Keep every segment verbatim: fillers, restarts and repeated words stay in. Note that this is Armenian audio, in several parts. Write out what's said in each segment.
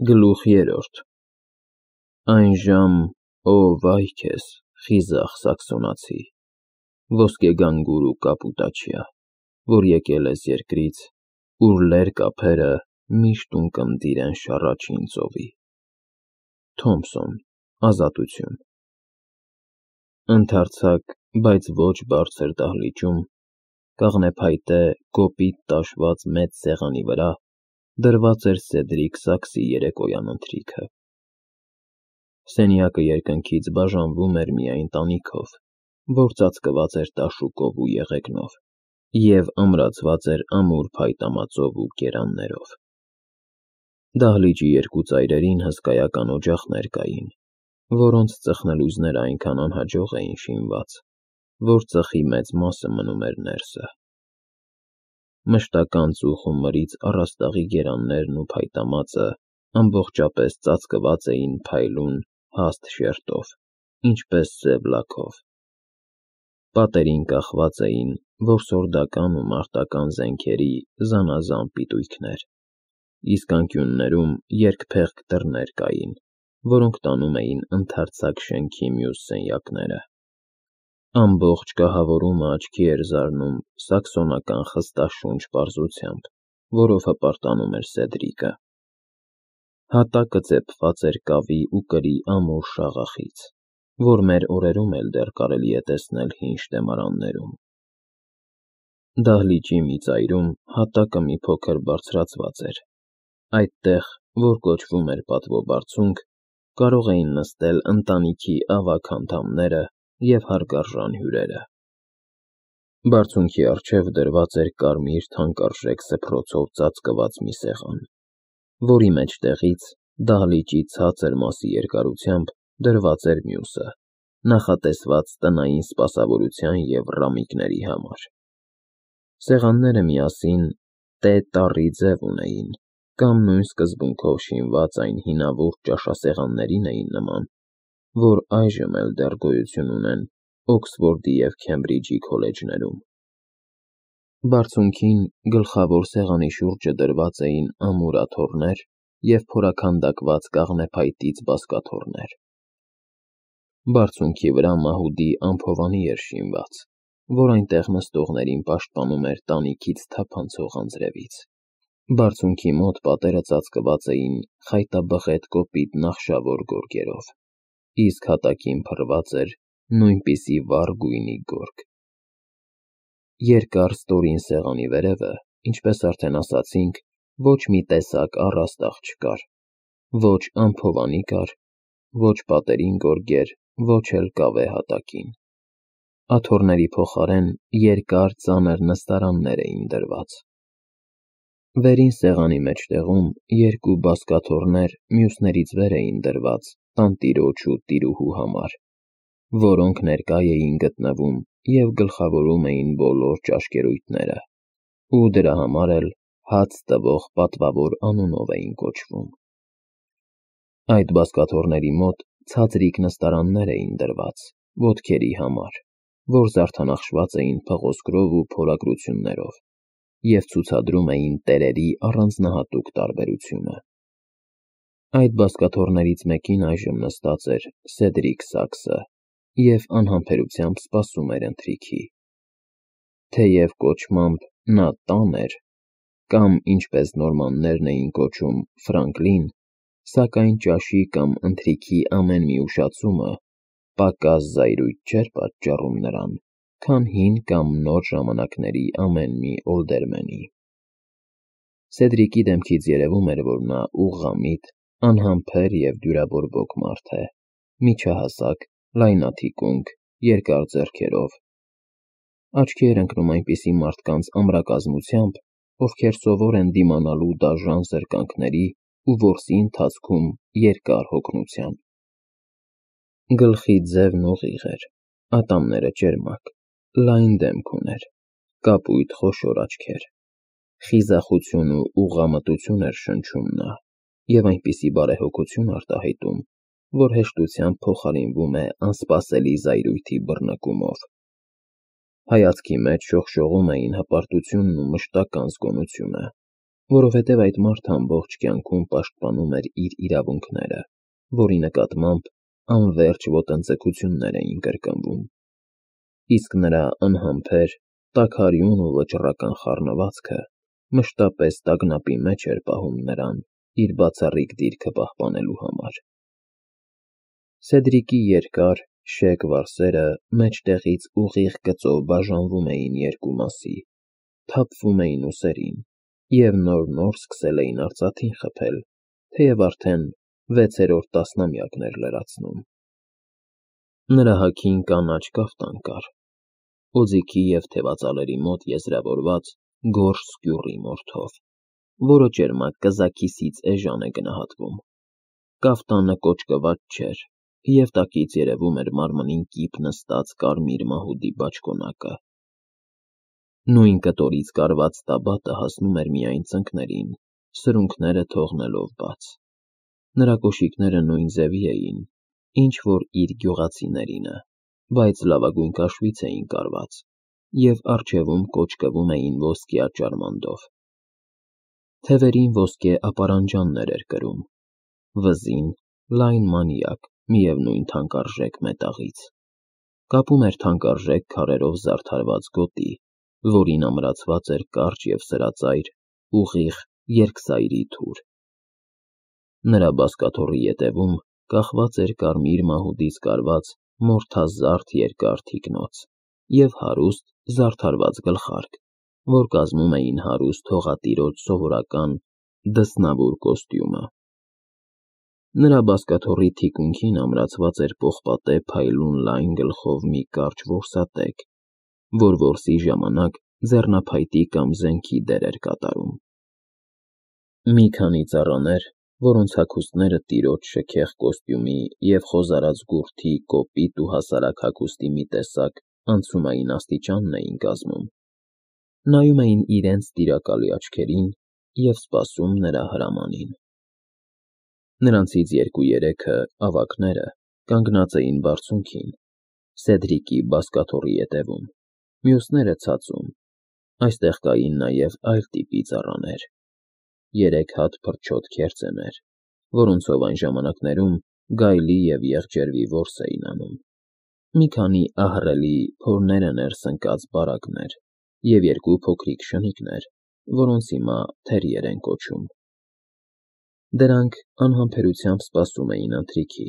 Գլուխ երրորդ Այն ժամ, ո վայ քեզ, խիզախ սաքսոնացի, ոսկեգանգուր ու կապուտաչյա, որ եկել ես երկրից, ուր լերկ ափերը միշտ ունկնդիր են շառաչին ծովի։ Թոմսոն, Ազատություն Ընդարձակ, բայց ոչ բարձր դահլիճում, կաղնեփայտե, կոպիտ տաշված մեծ սեղանի վրա դրված էր Սեդրիկ Սաքսի երեկոյան ընթրիքը։ Սենյակը երկնքից բաժանվում էր միայն տանիքով, որ ծածկված էր տաշուկով ու եղեգնով և ամրացված էր ամուր փայտամածով ու կերաններով։ Դահլիճի երկու ծայրերին հսկայական օջախներ կային, որոնց ծխնելույզները այնքան անհաջող էին շինված, որ ծխի մեծ մասը մնում էր ներսը։ Մշտական ծուխ ու մրից առաստաղի գերաններն ու փայտամածը ամբողջապես ծածկված էին փայլուն, հաստ շերտով, ինչպես սև լաքով։ Պատերին կախված էին որսորդական ու մարտական զենքերի զանազան պիտույքներ, իսկ անկյուններում երկփեղկ դռներ կային, որոնք տանում էին ընդարձակ շենքի մյուս սենյակները։ Ամբողջ կահավորումը աչքի էր զարնում սաքսոնական խստաշունչ պարզությամբ, որով հպարտանում էր Սեդրիկը։ Հատակը ծեփված էր կավի ու կրի ամուր շաղախից, որ մեր օրերում էլ դեռ կարելի է տեսնել հին շտեմարաններում։ Դահլիճի մի ծայրում հատակը մի փոքր բարձրացված էր։ Այդտեղ, որ կոչվում էր պատվո բարձունք, կարող էին նստել ընտանիքի ավագ անդամները և հարգարժան հյուրերը։ Բարձունքի առջև դրված էր կարմիր թանկարժեք սփռոցով ծածկված մի սեղան, որի մեջտեղից, դահլիճի ցածր մասի երկարությամբ, դրված էր մյուսը, նախատեսված տնային սպասավորության և ռամիկների համար։ Սեղանները միասին տե տառի ձև ունեին, կամ նույն սկզբունքով շինված այն հինավուրց ճաշասեղաններին էին նման, որ այժմ էլ դեռ գոյություն ունեն Օքսֆորդի և Քեմբրիջի քոլեջներում։ Բարձունքին, գլխավոր սեղանի շուրջը դրված էին ամուր աթոռներ և փորաքանդակված կաղնեփայտից բազկաթոռներ։ Բարձունքի վրա մահուդի ամփովանի էր շինված, որ այնտեղ նստողներին պաշտպանում էր տանիքից թափանցող անձրևից։ Բարձունքի մոտ պատերը ծածկված էին խայտաբղետ կոպիտ նախշավոր գորգերով, իսկ հատակին փռված էր նույնպիսի վառ գույնի գորգ։ Երկար ստորին սեղանի վերևը, ինչպես արդեն ասացինք, ոչ մի տեսակ առաստաղ չկար, ոչ ամփովանի կար, ոչ պատերին գորգեր, ոչ էլ կավե հատակին։ Աթոռների փոխարեն երկար ծանր նստարաններ էին դրված։ Վերին սեղանի մեջտեղում երկու բազկաթոռներ մյուսներից վեր էին դրված տանտիրոջ ու տիրուհու համար, որոնք ներկա էին գտնվում և գլխավորում էին բոլոր ճաշկերույթները, ու դրա համար էլ հաց տվող պատվավոր անունով էին կոչվում։ Այդ բազկաթոռների մոտ ցածրիկ նստարաններ էին դրված, ոտքերի համար, որ զարդանախշված էին փղոսկրով ու փորագրություններով և ցուցադրում էին տերերի առանձնահատուկ տարբերությունը։ Այդ բազկաթոռներից մեկին այժմ նստած էր Սեդրիկ Սաքսը և անհամբերությամբ սպասում էր ընթրիքի։ Թեև կոչմամբ նա տան էր, կամ, ինչպես նորմաններն էին կոչում, Ֆրանկլին, սակայն ճաշի կամ ընթրիքի ամեն մի ուշացումը պակաս զայրույթ չէր պատճառում նրան, քան հին կամ նոր ժամանակների ամեն մի օլդերմենի։ Սեդրիկի դեմքից երևում էր, որ նա ուղղամիտ, անհամբեր և դյուրաբորբոք մարդ է, միջահասակ, լայնաթիկունք, երկար ձեռքերով։ Աչքի էր ընկնում այնպիսի մարդկանց ամրակազմությամբ, ովքեր սովոր են դիմանալու դաժան զրկանքների ու որսի ընթացքում երկար հոգնության։ Գլխի ձևն ուղիղ էր, ատամները ճերմակ, լայն դեմք ուներ, կապույտ խոշոր աչքեր։ Խիզախություն ու ուղղամտություն էր շնչում նա և այնպիսի բարեհոգություն արտահայտում, որ հեշտությամբ փոխարինվում է անսպասելի զայրույթի բռնկումով։ Հայացքի մեջ շողշողում էին հպարտությունն ու մշտական զգոնությունը, որովհետև այդ մարդը ամբողջ կյանքում պաշտպանում էր իր իրավունքները, որի նկատմամբ անվերջ ոտնձգություններ էին կրկնվում, իսկ նրա անհամբեր, տաքարյուն ու վճռական խառնվածքը մշտապես տագնապի մեջ էր պահում նրան իր բացառիկ դիրքը պահպանելու համար։ Սեդրիկի երկար, շեկ վարսերը մեջտեղից ուղիղ գծով բաժանվում էին երկու մասի, թափվում էին ուսերին և նոր-նոր սկսել էին արծաթին խփել, թեև արդեն վեցերորդ տասնամյակն էր լրացնում։ Նրա հագին կանաչ կաֆտան կար, օձիքի և թևածալերի մոտ եզրավորված գորշ սկյուռի մորթով, որը ճերմակ կզաքիսից էժան է գնահատվում։ Կաֆտանը կոճկված չէր, և տակից երևում էր մարմնին կիպ նստած կարմիր մահուդի բաճկոնակը։ Նույն կտորից կարված տաբատը հասնում էր միայն ծնկներին, սրունքները թողնելով բաց։ Նրա կոշիկները նույն ձևի էին, ինչ որ իր գյուղացիներինը, բայց լավագույն կաշվից էին կարված և առջևում կոճկվում էին ոսկյա ճարմանդով։ Թևերին ոսկե ապարանջաններ էր կրում, վզին լայն մանյակ միևնույն թանկարժեք մետաղից։ Կապում էր թանկարժեք քարերով զարդարված գոտի, որին ամրացված էր կարճ և սրածայր, ուղիղ երկսայրի թուր։ Նրա բազկաթոռի ետևում կախված էր կարմիր մահուդից կարված մորթազարդ երկար թիկնոց և հարուստ զարդարված գլխարկ, որ կազմում էին հարուստ հողատիրոջ սովորական դսնավուր կոստյումը։ Նրա բազկաթոռի թիկունքին ամրացված էր պողպատե փայլուն լայն գլխով մի կարճ որսատեկ, որ որսի ժամանակ ձեռնափայտի կամ զենքի դեր էր կատարում։ Մի քանի ծառաներ, որոնց հագուստները տիրոջ շքեղ կոստյումի և խոզարած գուրդի կոպիտ ու հասարակ հագուստի մի տեսակ անցումային աստիճանն էին կազմում, նայում էին իրենց տիրակալի աչքերին և սպասում նրա հրամանին։ Նրանցից երկու-երեքը, ավագները, կանգնած էին բարձունքին, Սեդրիկի բազկաթոռի ետևում, մյուսները ցածում։ Այստեղ կային նաև այլ տիպի ծառաներ, երեք հատ փրչոտ քերծեներ, որոնցով այն ժամանակներում գայլի և եղջերվի որս էին անում, մի քանի ահռելի փորները ներս ընկած բարակներ և երկու փոքրիկ շնիկներ, որոնց հիմա թերիեր են կոչում։ Դրանք անհամբերությամբ սպասում էին ընթրիքի,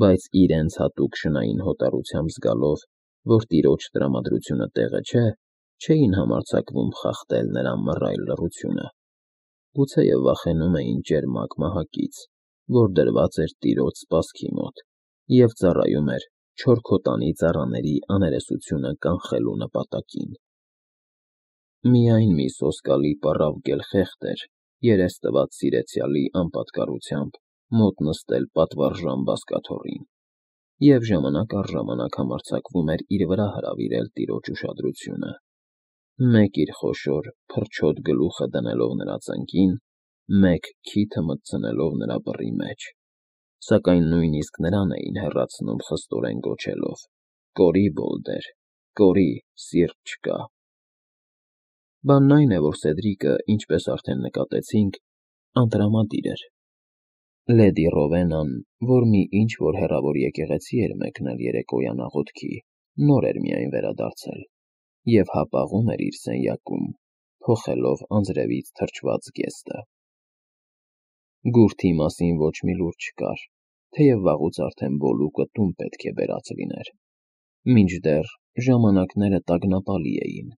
բայց իրենց հատուկ շնային հոտառությամբ զգալով, որ տիրոջ տրամադրությունը տեղը չէ, չէին համարձակվում խախտել նրա մռայլ լռությունը, գուցեև վախենում էին ճերմակ մահակից, որ դրված էր տիրոջ սպասքի մոտ և ծառայում էր չորքոտանի ծառաների աներեսությունը կանխելու նպատակին։ Միայն մի սոսկալի պառավ գելխեղդ էր երես տված սիրեցյալի անպատկառությամբ մոտ նստել պատվարժան բազկաթոռին և ժամանակ առ ժամանակ համարձակվում էր իր վրա հրավիրել տիրոջ ուշադրությունը, մեկ իր խոշոր, փրչոտ գլուխը դնելով նրա ծնկին, մեկ քիթը մտցնելով նրա բռի մեջ, սակայն նույնիսկ նրան էին հեռացնում խստորեն գոչելով. «Կորի, Բոլդեր, կորի, սիրտ չկա»։ Բանն այն է, որ Սեդրիկը, ինչպես արդեն նկատեցինք, անտրամադիր էր։ Լեդի Ռովենան, որ մի ինչ-որ հեռավոր եկեղեցի էր մեկնել երեկոյան աղոթքի, նոր էր միայն վերադարձել և հապաղում էր իր սենյակում, փոխելով անձրևից թրջված զգեստը։ Գուրդի մասին ոչ մի լուր չկար, թեև վաղուց արդեն Բոլուկը տուն պետք է բերած լիներ, մինչդեռ ժամանակները տագնապալի էին,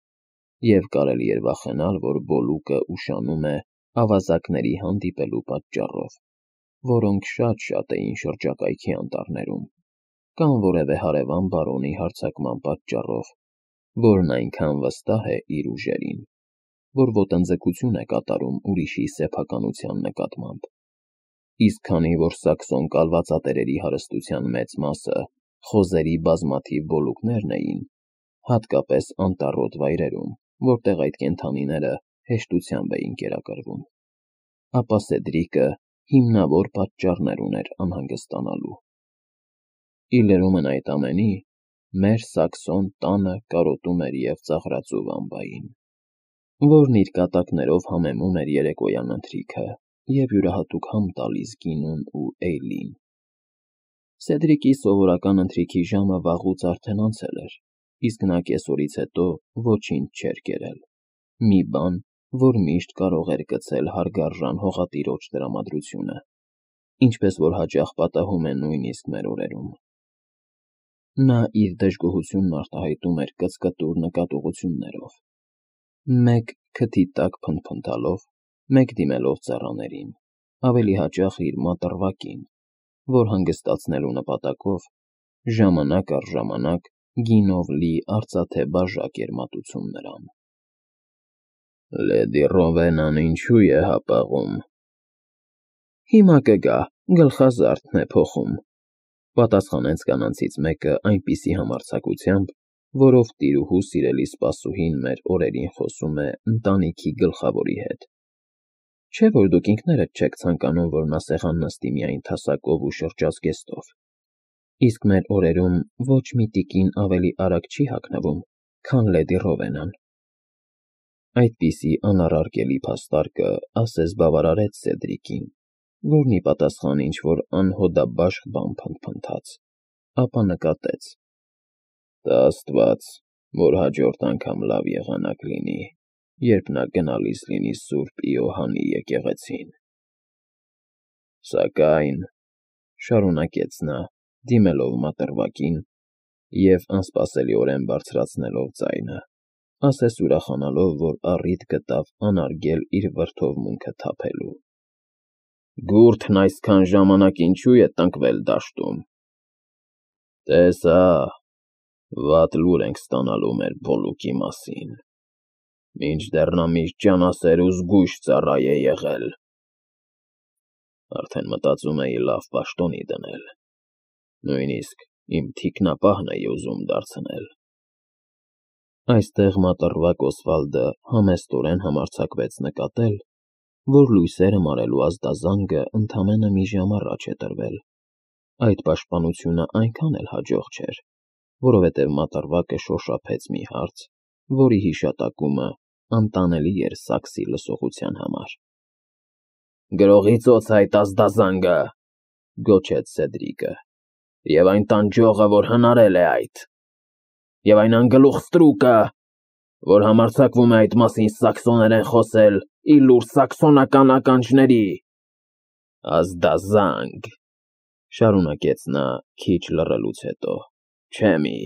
և կարելի էր վախենալ, որ Բոլուկը ուշանում է ավազակների հանդիպելու պատճառով, որոնք շատ-շատ էին շրջակայքի անտառներում, կամ որևէ հարևան բարոնի հարձակման պատճառով, որն այնքան վստահ է իր ուժերին, որ ոտնձգություն է կատարում ուրիշի սեփականության նկատմամբ։ Իսկ քանի որ սաքսոն կալվածատերերի հարստության մեծ մասը խոզերի բազմաթիվ բոլուկներն էին, հատկապես անտառոտ վայրերում, որտեղ այդ կենդանիները հեշտությամբ էին կերակրվում, ապա Սեդրիկը հիմնավոր պատճառներ ուներ անհանգստանալու։ Ի լրումն այդ ամենի, մեր Սաքսոն տանը կարոտում էր և ծաղրածու վամբային։ որն իր կատակներով համեմում էր երեկոյան ընթրիքը և յուրահատուկ համ տալիս Գինուն ու Էյլին։ Սեդրիկի սովորական ընթրիքի ժամը վաղուց արդեն անցել էր, իսկ նա կեսօրից հետո ոչինչ չէր կերել, մի բան, որ միշտ կարող էր գցել հարգարժան հողատիրոջ տրամադրությունը, ինչպես որ հաճախ պատահում է նույնիսկ մեր օրերում։ Նա իր դժգոհությունն արտահայտում էր կծկտուր նկատողություններով, մեկ քթի տակ փնթփնթալով, մեկ դիմելով ծառաներին, ավելի հաճախ իր մատռվակին, որ հանգստացնելու նպատակով ժամանակ առ ժամանակ գինով լի արծաթե բաժակ էր մատուցում նրան։ Լեդի Ռովենան ինչու է հապաղում։ Հիմա կգա, գլխազարդն է փոխում, պատասխանեց կանանցից մեկը այնպիսի համարձակությամբ, որով տիրուհու սիրելի սպասուհին մեր օրերին խոսում է ընտանիքի գլխավորի հետ։ Չէ՞ որ դուք ինքներդ չեք ցանկանում, որ նա սեղան նստի միայն թասակով ու շրջազգեստով, իսկ մեր օրերում ոչ մի տիկին ավելի արագ չի հագնվում, քան լեդի Ռովենան։ Այդպիսի անառարկելի փաստարկը ասես բավարարեց Սեդրիկին, որն ի պատասխան ինչ-որ անհոդաբաշխ բան փնթփնթաց, ապա նկատեց. Տա աստված, որ հաջորդ անգամ լավ եղանակ լինի, երբ նա գնալիս լինի Սուրբ Իոհանի եկեղեցին։ Սակայն, շարունակեց նա, դիմելով մատռվակին և անսպասելիորեն բարձրացնելով ձայնը, ասես ուրախանալով, որ առիթ գտավ անարգել իր վրդովմունքը թափելու. Գուրդն այսքան ժամանակ ինչու է տնկվել դաշտում։ Տես հա, վատ լուր ենք ստանալու մեր Բոլուկի մասին, մինչդեռ նա միշտ ջանասեր ու զգույշ ծառա է եղել։ Արդեն մտածում էի լավ պաշտոնի դնել, նույնիսկ իմ թիկնապահն էի ուզում դարձնել։ Այստեղ մատռվակ Օսվալդը համեստորեն համարձակվեց նկատել, որ լույսերը մարելու ազդազանգը ընդամենը մի ժամ առաջ է տրվել, այդ պաշտպանությունը այնքան էլ հաջող չէր, որովհետև մատռվակը շոշափեց մի հարց, որի հիշատակումը անտանելի էր Սաքսի լսողության համար։ Գրողի ծոց այդ ազդազանգը, գոչեց Սեդրիկը, և այն տանջողը, որ հնարել է այդ, և այն անգլուխ ստրուկը, որ համարձակվում է այդ մասին սաքսոներեն խոսել ի լուր սաքսոնական ականջների։ Ազդազանգ, շարունակեց նա քիչ լռելուց հետո, չէ մի,